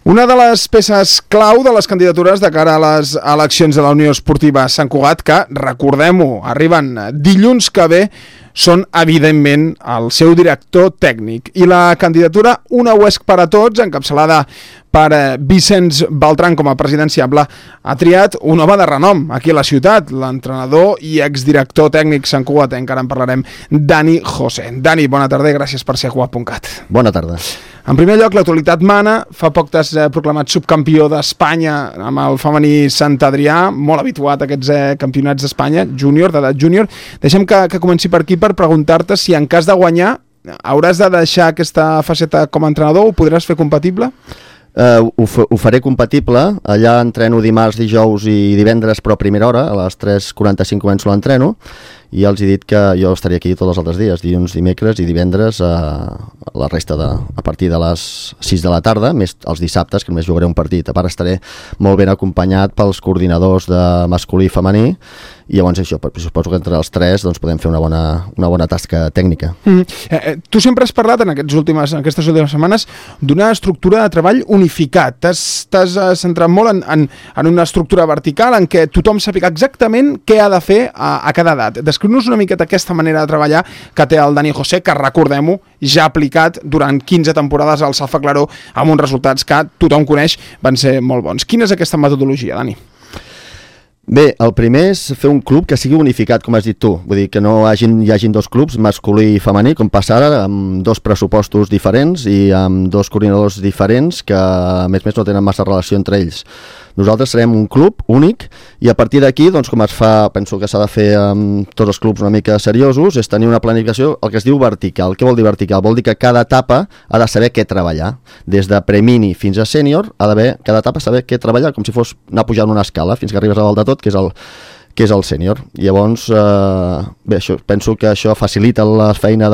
Una de les peces clau de les candidatures de cara a les eleccions de la Unió Esportiva Sant Cugat, que, recordem-ho, arriben dilluns que ve, són, evidentment, el seu director tècnic. I la candidatura Una UESC per a tots, encapçalada per Vicenç Beltran com a presidenciable, ha triat un home de renom aquí a la ciutat, l'entrenador i exdirector tècnic santcugatenc, encara en parlarem, Dani José. Dani, bona tarda i gràcies per ser a Cugat.cat. Bona tarda. En primer lloc, l'actualitat mana. Fa poc t'has proclamat subcampió d'Espanya amb el femení Sant Adrià, molt habituat a aquests campionats d'Espanya, júnior, d'edat júnior. Deixem que comenci per aquí per preguntar-te si en cas de guanyar hauràs de deixar aquesta faceta com a entrenador o ho podràs fer compatible? Ho faré compatible. Allà entreno dimarts, dijous i divendres, però a primera hora, a les 3:45 començo l'entreno, i els he dit que jo estaria aquí tots els altres dies, dilluns, dimecres i divendres, la resta a partir de les 6 de la tarda, més els dissabtes, que només jugaré un partit. A part estaré molt ben acompanyat pels coordinadors de masculí i femení, i llavors això, suposo que entre els tres doncs, podem fer una bona tasca tècnica. Tu sempre has parlat en aquestes últimes setmanes d'una estructura de treball unificat. T'has centrat molt en una estructura vertical en què tothom sàpiga exactament què ha de fer a cada edat. Descriu-nos una miqueta aquesta manera de treballar que té el Dani José, que, recordem-ho, ja ha aplicat durant 15 temporades al Safa Claró amb uns resultats que tothom coneix, van ser molt bons. Quina és aquesta metodologia, Dani? Bé, el primer és fer un club que sigui unificat, com has dit tu. Vull dir, que no hi hagin dos clubs, masculí i femení, com passa ara, amb dos pressupostos diferents i amb dos coordinadors diferents que, a més no tenen massa relació entre ells. Nosaltres serem un club únic i a partir d'aquí, doncs, com es fa, penso que s'ha de fer amb tots els clubs una mica seriosos, és tenir una planificació, el que es diu vertical. Què vol dir vertical? Vol dir que cada etapa ha de saber què treballar. Des de premini fins a sènior, ha d'haver cada etapa saber què treballar, com si fos anar pujant una escala fins que arribes a dalt de tot, que és el sènior. Llavors, bé, penso que això facilita la feina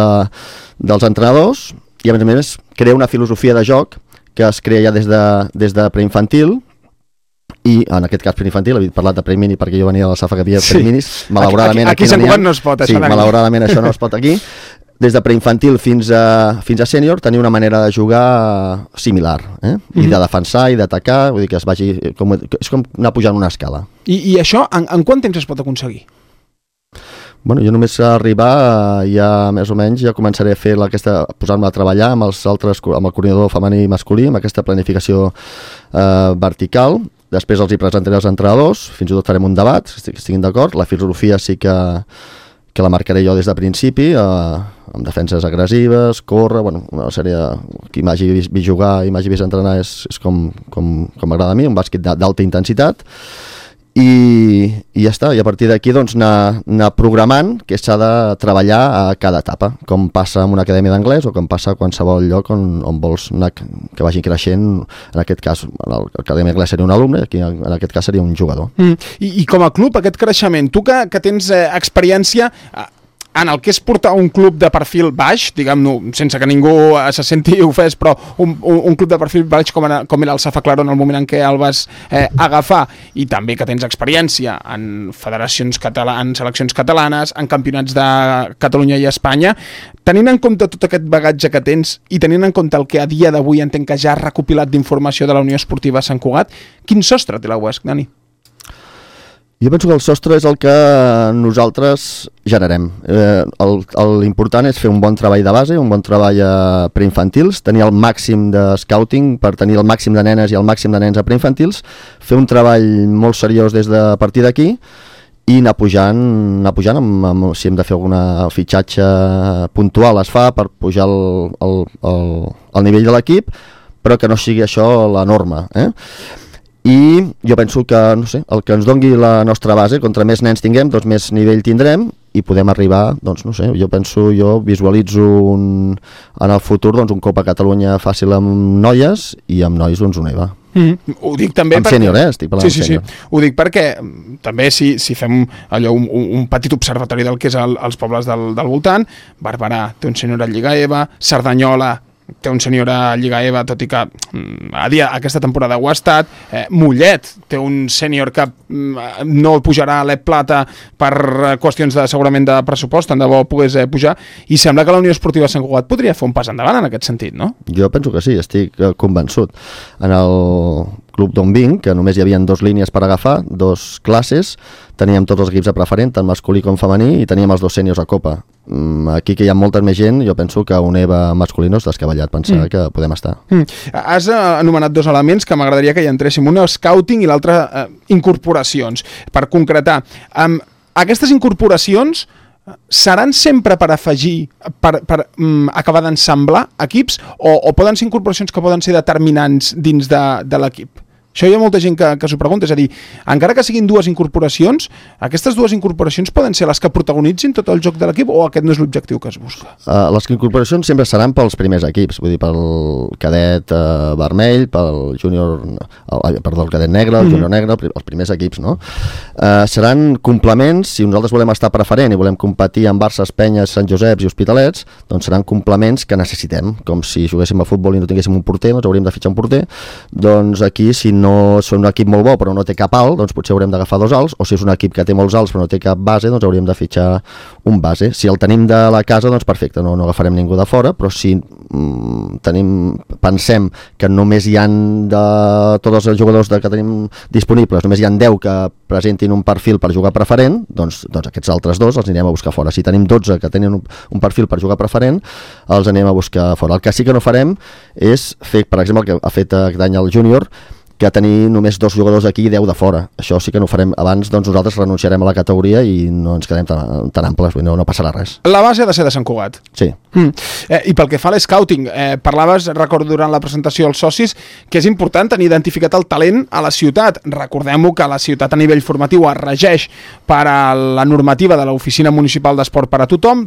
dels entrenadors i, a més, crea una filosofia de joc que es crea ja des de preinfantil, i en aquest cas preinfantil, he parlat de premini perquè jo venia a la Safa que havia preminis, malauradament aquí Sant Cugat no es pot, això. Sí, malauradament això no es pot aquí. Des de preinfantil fins a sènior tenir una manera de jugar similar, i de defensar i d'atacar, vull dir que és com anar pujant una escala. I això en quant temps es pot aconseguir? Bueno, jo només arribar ja més o menys ja començaré a fer posar-me a treballar amb el coordinador femení i masculí, amb aquesta planificació vertical. Després els hi presentaré als entrenadors, fins i tot farem un debat, si estiguin d'acord. La filosofia sí que la marcaré jo des de principi, amb defenses agressives, córrer, una sèrie qui m'hagi vist jugar i m'hagi vist entrenar és com m'agrada a mi, un bàsquet d'alta intensitat. I ja està, i a partir d'aquí doncs anar programant que s'ha de treballar a cada etapa, com passa en una acadèmia d'anglès o com passa a qualsevol lloc on vols anar, que vagi creixent. En aquest cas, a l'acadèmia d'anglès seria un alumne, aquí en aquest cas seria un jugador. I com a club, aquest creixement, tu que tens experiència en el que és portar un club de perfil baix, diguem-ne, sense que ningú se senti ofès, però un club de perfil baix com era el Safa Claró en el moment en què el vas agafar, i també que tens experiència en federacions en seleccions catalanes, en campionats de Catalunya i Espanya, tenint en compte tot aquest bagatge que tens i tenint en compte el que a dia d'avui entenc que ja has recopilat d'informació de la Unió Esportiva Sant Cugat, quin sostre té la UESC, Dani? Jo penso que el sostre és el que nosaltres generem. L'important és fer un bon treball de base, un bon treball a preinfantils, tenir el màxim de scouting per tenir el màxim de nenes i el màxim de nens a preinfantils, fer un treball molt seriós des de partir d'aquí i anar pujant si hem de fer algun fitxatge puntual es fa per pujar el nivell de l'equip, però que no sigui això la norma, I jo penso que, no sé, el que ens dongui la nostra base, contra més nens tinguem, doncs més nivell tindrem i podem arribar, doncs no sé, jo visualitzo en el futur un Copa Catalunya fàcil amb noies i amb nois un EVA. Ho dic també amb sènior, estic parlant sí, sènior. Ho dic perquè també si fem allò un petit observatori del que és els pobles del voltant, Barberà té un sènior a Lliga EVA, Cerdanyola té un sènior a Lliga EVA, tot i que a dia aquesta temporada ho ha estat. Mollet té un sènior que no pujarà a l'Ep Plata per qüestions segurament de pressupost, tant de bo pogués pujar, i sembla que la Unió Esportiva Sant Cugat podria fer un pas endavant en aquest sentit, no? Jo penso que sí, estic convençut. En el club d'on vinc, que només hi havia 2 línies per agafar, 2 classes, teníem tots els equips a preferent, tant masculí com femení, i teníem els 2 sèniors a Copa. Aquí que hi ha molta més gent, jo penso que un EVA masculí no és descabellat pensar que podem estar. Has anomenat 2 elements que m'agradaria que hi entréssim, un scouting i l'altre incorporacions. Per concretar, aquestes incorporacions seran sempre per afegir, per acabar d'ensamblar equips, o poden ser incorporacions que poden ser determinants dins de l'equip? Això hi ha molta gent que s'ho pregunta, és a dir, encara que siguin 2 incorporacions, aquestes 2 incorporacions poden ser les que protagonitzin tot el joc de l'equip, o aquest no és l'objectiu que es busca? Les incorporacions sempre seran pels primers equips, vull dir, pel cadet vermell, pel júnior, el cadet negre, el júnior negre, els primers equips, no? Seran complements, si nosaltres volem estar preferent i volem competir amb Barça, Penyes, Sant Joseps i Hospitalets, doncs seran complements que necessitem, com si juguéssim a futbol i no tinguéssim un porter, doncs hauríem de fitxar un porter. Doncs aquí, si no és un equip molt bo però no té cap alt, doncs potser haurem d'agafar 2 alts, o si és un equip que té molts alts però no té cap base, doncs hauríem de fitxar un base. Si el tenim de la casa, doncs perfecte, no agafarem ningú de fora, però si pensem que només hi han de tots els jugadors que tenim disponibles, només hi han 10 que presentin un perfil per jugar preferent, doncs aquests altres 2 els anirem a buscar fora. Si tenim 12 que tenen un perfil per jugar preferent, els anem a buscar fora. El que sí que no farem és fer, per exemple, el que ha fet aquest any el júnior, que tenir només 2 jugadors aquí i 10 de fora. Això sí que no ho farem. Abans, doncs, nosaltres renunciarem a la categoria i no ens quedem tan amples, no passarà res. La base ha de ser de Sant Cugat. Sí. I pel que fa a l'scouting, parlaves, recordo durant la presentació als socis, que és important tenir identificat el talent a la ciutat. Recordem-ho que la ciutat a nivell formatiu es regeix per a la normativa de l'Oficina Municipal d'Esport per a tothom,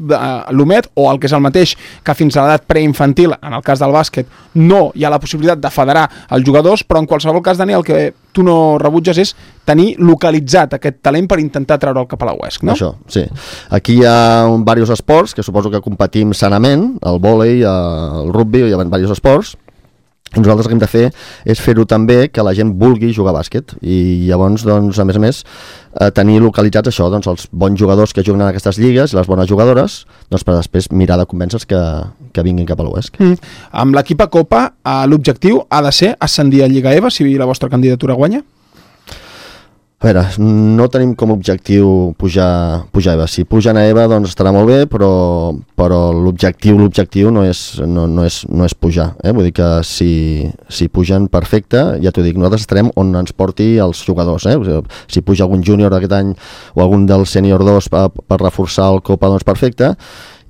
l'OMET, o el que és el mateix que fins a l'edat preinfantil, en el cas del bàsquet, no hi ha la possibilitat de federar els jugadors, però en qualsevol cas, Dani, el que tu no rebutges és tenir localitzat aquest talent per intentar treure'l cap a la UESC, no? Això, sí. Aquí hi ha diversos esports que suposo que competim sanament, el vòlei, el rugby, hi ha diversos esports, i nosaltres el que hem de fer és fer-ho també que la gent vulgui jugar a bàsquet, i llavors, doncs, a més, tenir localitzats això, doncs, els bons jugadors que juguen en aquestes lligues, les bones jugadores, doncs, per després mirar de convèncer-los que vinguin cap a l'UESC. Amb l'equip a Copa, l'objectiu ha de ser ascendir a Lliga EVA si la vostra candidatura guanya? A veure, no tenim com a objectiu pujar a EVA. Si pugen a EVA, doncs estarà molt bé, però l'objectiu no és pujar. Vull dir que si pugen, perfecte, ja t'ho dic, nosaltres estarem on ens porti els jugadors. Si puja algun júnior aquest any o algun del sènior 2 per reforçar el Copa, doncs perfecte.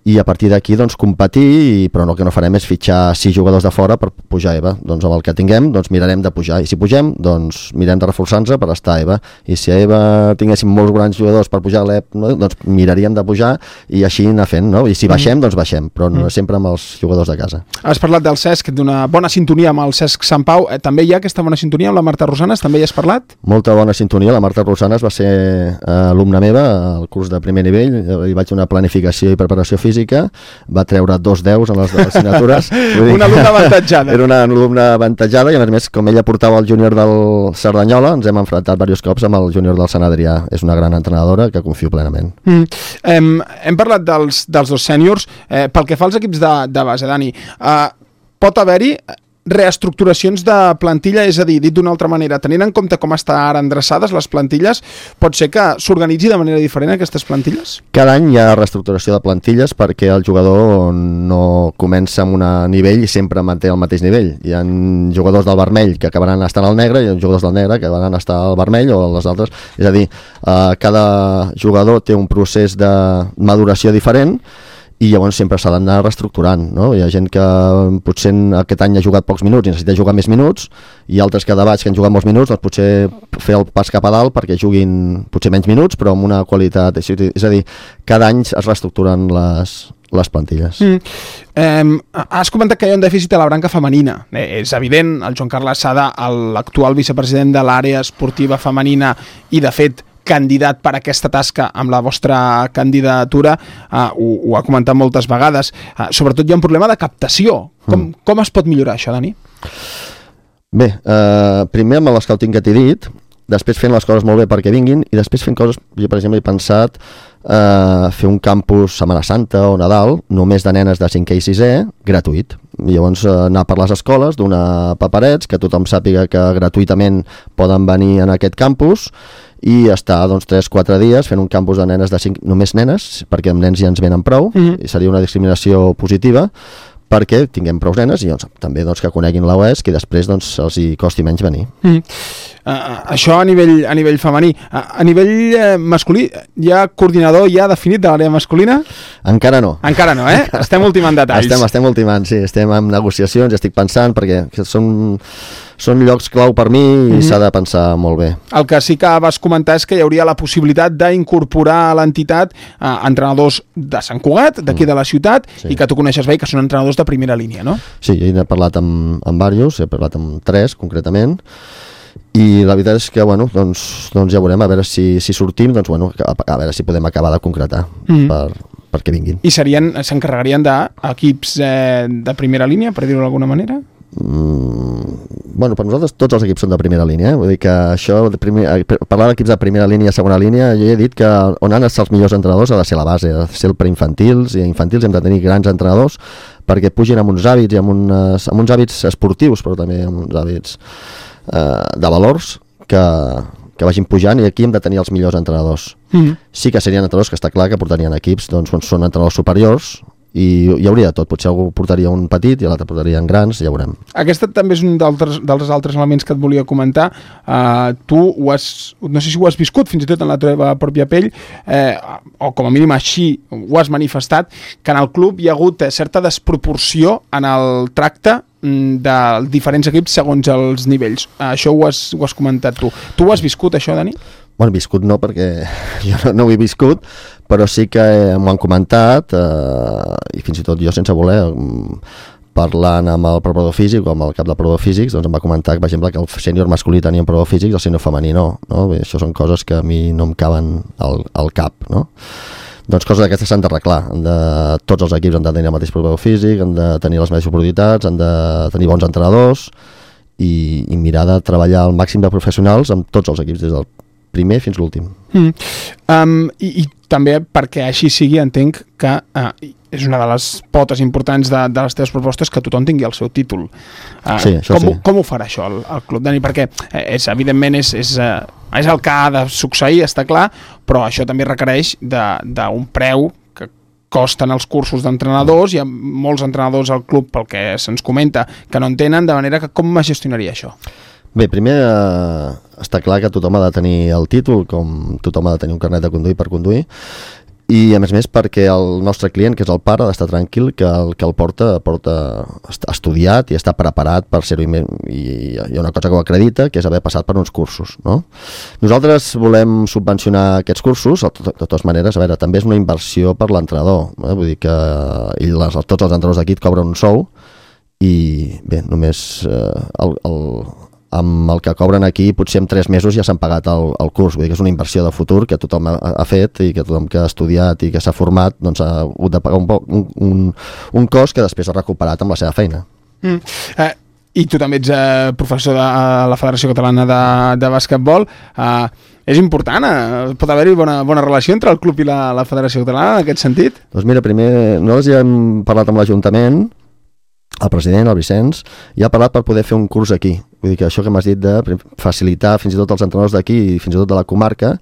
I a partir d'aquí, doncs, competir, però el que no farem és fitxar 6 jugadors de fora per pujar a EVA. Doncs amb el que tinguem, doncs mirarem de pujar. I si pugem, doncs mirem de reforçar-nos per estar a EVA. I si a EVA tinguéssim molts grans jugadors per pujar a l'EP, no? Doncs miraríem de pujar i així anar fent, no? I si baixem, doncs baixem, però no sempre amb els jugadors de casa. Has parlat del Cesc, d'una bona sintonia amb el Cesc Sant Pau. També hi ha aquesta bona sintonia amb la Marta Rosanes? També hi has parlat? Molta bona sintonia. La Marta Rosanes va ser alumna meva al curs de primer nivell. Hi vaig donar planificació i preparació física. Va treure 2 10 en les assignatures. Una alumna avantatjada. Era una alumna avantatjada i a més com ella portava el júnior del Cerdanyola, ens hem enfrontat diversos cops amb el júnior del Sant Adrià. És una gran entrenadora que confio plenament. Hem parlat dels 2 sèniors. Pel que fa als equips de base, Dani, pot haver-hi reestructuracions de plantilla, és a dir, dit d'una altra manera, tenint en compte com estan ara endreçades les plantilles, pot ser que s'organitzi de manera diferent aquestes plantilles? Cada any hi ha reestructuració de plantilles perquè el jugador no comença amb un nivell i sempre manté el mateix nivell. Hi ha jugadors del vermell que acabaran estant al negre i hi ha jugadors del negre que acabaran estar al vermell o les altres. És a dir, cada jugador té un procés de maduració diferent i llavors sempre s'ha d'anar reestructurant, no? Hi ha gent que potser aquest any ha jugat pocs minuts i necessita jugar més minuts, i altres que de baix que han jugat molts minuts, doncs potser fer el pas cap a dalt perquè juguin potser menys minuts però amb una qualitat, és a dir, cada any es reestructuren les plantilles. Has comentat que hi ha un dèficit a la branca femenina. És evident, el Joan Carles Sada, l'actual vicepresident de l'àrea esportiva femenina i de fet candidat per a aquesta tasca amb la vostra candidatura, ho ha comentat moltes vegades, sobretot hi ha un problema de captació. Com es pot millorar això, Dani? Bé, primer amb l'escouting que t'he dit, després fent les coses molt bé perquè vinguin, i després fent coses, jo per exemple he pensat fer un campus Setmana Santa o Nadal, només de nenes de 5è i 6è, gratuït. I llavors anar per les escoles, donar paperets, que tothom sàpiga que gratuïtament poden venir en aquest campus, i estar 3-4 dies fent un campus de nenes de 5, només nenes, perquè amb nens ja ens venen prou, i seria una discriminació positiva, perquè tinguem prou nenes i també que coneguin la UESC i després els hi costi menys venir. Això a nivell femení. A nivell masculí, hi ha coordinador ja definit de l'àrea masculina? Encara no. Encara no, eh? Estem ultimant detalls. Estem ultimant, sí. Estem en negociacions, estic pensant, perquè són llocs clau per mi i s'ha de pensar molt bé. El que sí que vas comentar és que hi hauria la possibilitat d'incorporar a l'entitat entrenadors de Sant Cugat, d'aquí de la ciutat, i que tu coneixes bé, que són entrenadors de primera línia, no? Sí, he parlat amb diversos, he parlat amb 3 concretament, i la veritat és que doncs ja veurem, a veure si sortim, a veure si podem acabar de concretar perquè vinguin. I s'encarregarien d'equips de primera línia, per dir-ho d'alguna manera? Per nosaltres tots els equips són de primera línia, vull dir que això parlar d'equips de primera línia i segona línia, jo he dit que on han estat els millors entrenadors ha de ser la base, ha de ser el preinfantils, i a infantils hem de tenir grans entrenadors perquè pugin amb uns hàbits i amb uns hàbits esportius, però també amb uns hàbits de valors que vagin pujant, i aquí hem de tenir els millors entrenadors. Sí que serien entrenadors que està clar que portarien equips, doncs són entrenadors superiors, i hi hauria de tot, potser algú portaria un petit i l'altre portarien grans, ja veurem. Aquest també és un dels altres elements que et volia comentar. Tu no sé si ho has viscut fins i tot en la teva pròpia pell, o com a mínim així ho has manifestat, que en el club hi ha hagut certa desproporció en el tracte de diferents equips segons els nivells. Això ho has comentat tu. Tu ho has viscut, això, Dani? Bueno, viscut no, perquè jo no ho he viscut, però sí que m'ho han comentat, i fins i tot jo sense voler, parlant amb el preparador físic o amb el cap de preparador físics, doncs em va comentar, per exemple, que el sènior masculí tenia un preparador físic i el sènior femení no? Bé, això són coses que a mi no em caben al cap, no? Doncs coses d'aquestes s'han d'arreglar. Tots els equips han de tenir el mateix preparador físic, han de tenir les mateixes oportunitats, han de tenir bons entrenadors i mirar de treballar al màxim de professionals amb tots els equips, des del primer fins l'últim. I també perquè així sigui, entenc que és una de les potes importants de les teves propostes que tothom tingui el seu títol. Sí, això sí. Com ho farà això el club, Dani? Perquè evidentment és el que ha de succeir, està clar, però això també requereix d'un preu que costen els cursos d'entrenadors. Hi ha molts entrenadors al club, pel que se'ns comenta, que no en tenen, de manera que com es gestionaria això? Bé, primer està clar que tothom ha de tenir el títol, com tothom ha de tenir un carnet de conduir per conduir, i a més perquè el nostre client, que és el pare, ha d'estar tranquil que el que el porta està estudiat i està preparat per ser-ho, i hi ha una cosa que ho acredita, que és haver passat per uns cursos, no? Nosaltres volem subvencionar aquests cursos, de totes maneres, a veure, també és una inversió per l'entrenador, vull dir que tots els entrenadors d'aquí et cobren un sou, i bé, només amb el que cobren aquí potser en 3 mesos ja s'han pagat el curs, vull dir que és una inversió de futur que tothom ha fet i que tothom que ha estudiat i que s'ha format doncs ha hagut de pagar un cost que després ha recuperat amb la seva feina. I tu també ets professor de la Federació Catalana de Basquetbol. És important? Pot haver-hi bona relació entre el club i la Federació Catalana en aquest sentit? Doncs mira, primer nosaltres ja hem parlat amb l'Ajuntament, el president, el Vicenç, i ha parlat per poder fer un curs aquí. Vull dir que això que m'has dit de facilitar fins i tot els entrenadors d'aquí i fins i tot de la comarca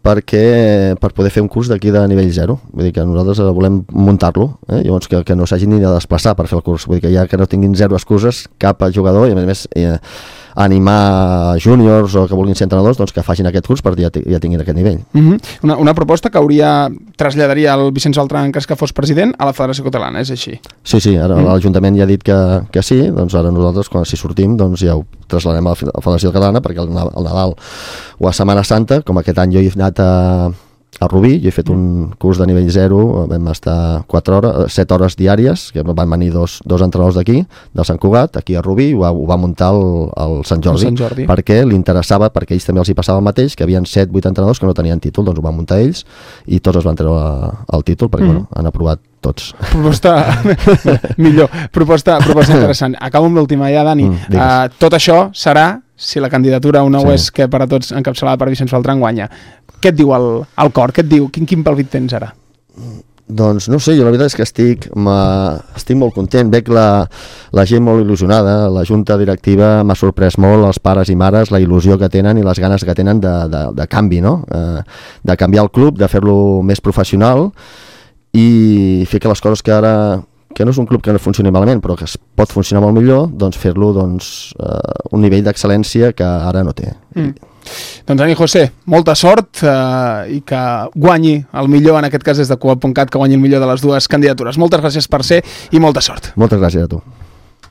per poder fer un curs d'aquí de nivell 0. Vull dir que nosaltres volem muntar-lo, llavors que no s'hagin ni de desplaçar per fer el curs. Vull dir que ja que no tinguin 0 excuses cap jugador, i a més animar júniors o que vulguin ser entrenadors doncs que facin aquest curs perquè ja tinguin aquest nivell. Una proposta que traslladaria el Vicenç Beltrán, que fos president, a la Federació Catalana, és així? Sí, ara l'Ajuntament ja ha dit que sí, doncs ara nosaltres, si sortim, doncs ja ho traslladem a la Federació Catalana, perquè el Nadal o a Setmana Santa, com aquest any jo he anat a Rubí. Jo he fet un curs de nivell 0, vam estar 7 hores diàries, que van venir dos entrenadors d'aquí, del Sant Cugat, aquí a Rubí, ho va muntar el Sant Jordi, perquè li interessava, perquè ells també els hi passava el mateix, que havien 7-8 entrenadors que no tenien títol, doncs ho van muntar ells, i tots es van treure el títol, perquè bueno, han aprovat tots. Proposta millor, proposta interessant. Acabo amb l'última ja, Dani. Tot això serà si la candidatura a una UESC per a tots encapçalada per Vicenç Beltran guanya. Què et diu el cor? Què et diu? Quin palpit tens ara? Doncs no sé, jo la veritat és que estic molt content, veig la gent molt il·lusionada, la junta directiva m'ha sorprès molt, els pares i mares, la il·lusió que tenen i les ganes que tenen de canvi, no? De canviar el club, de fer-lo més professional i fer que les coses que ara, que no és un club que no funcioni malament, però que es pot funcionar molt millor, doncs fer-lo un nivell d'excel·lència que ara no té. Doncs Dani José, molta sort i que guanyi el millor, en aquest cas des de Coop.cat, que guanyi el millor de les dues candidatures. Moltes gràcies per ser i molta sort. Moltes gràcies a tu.